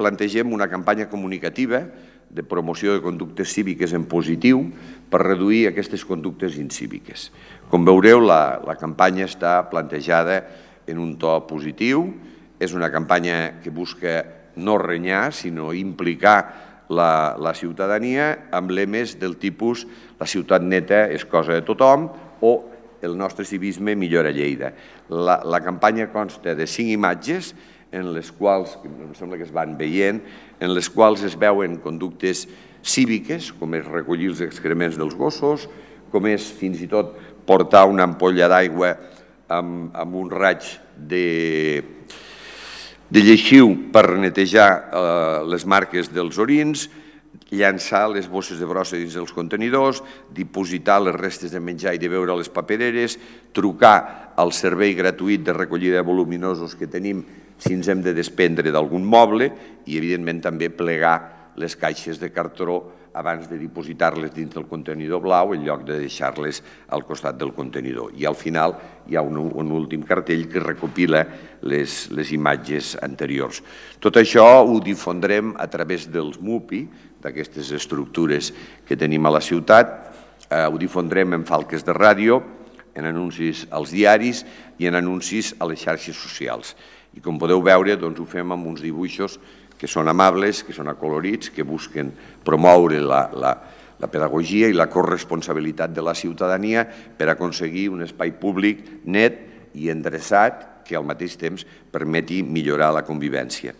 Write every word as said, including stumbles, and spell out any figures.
plantegem una campanya comunicativa de promoció de conductes cíviques en positiu per reduir aquestes conductes incíviques. Com veureu, la, la campanya està plantejada en un to positiu. És una campanya que busca no renyar, sinó implicar la, la ciutadania amb lemes del tipus la ciutat neta és cosa de tothom o el nostre civisme millora Lleida. La, la campanya consta de cinc imatges en les quals, em sembla que es van veient, en les quals es veuen conductes cíviques, com és recollir els excrements dels gossos, com és fins i tot portar una ampolla d'aigua amb, amb un raig de, de lleixiu per netejar eh, les marques dels orins, llançar les bosses de brossa dins dels contenidors, dipositar les restes de menjar i de beure a les papereres, trucar al servei gratuït de recollida de voluminosos que tenim si ens hem de desprendre d'algun moble i, evidentment, també plegar les caixes de cartró abans de dipositar-les dins del contenidor blau en lloc de deixar-les al costat del contenidor. I al final hi ha un, un últim cartell que recopila les, les imatges anteriors. Tot això ho difondrem a través dels M U P I, d'aquestes estructures que tenim a la ciutat, eh, ho difondrem en falques de ràdio, en anuncis als diaris i en anuncis a les xarxes socials. I com podeu veure, doncs, ho fem amb uns dibuixos que són amables, que són acolorits, que busquen promoure la, la, la pedagogia i la corresponsabilitat de la ciutadania per aconseguir un espai públic net i endreçat que al mateix temps permeti millorar la convivència.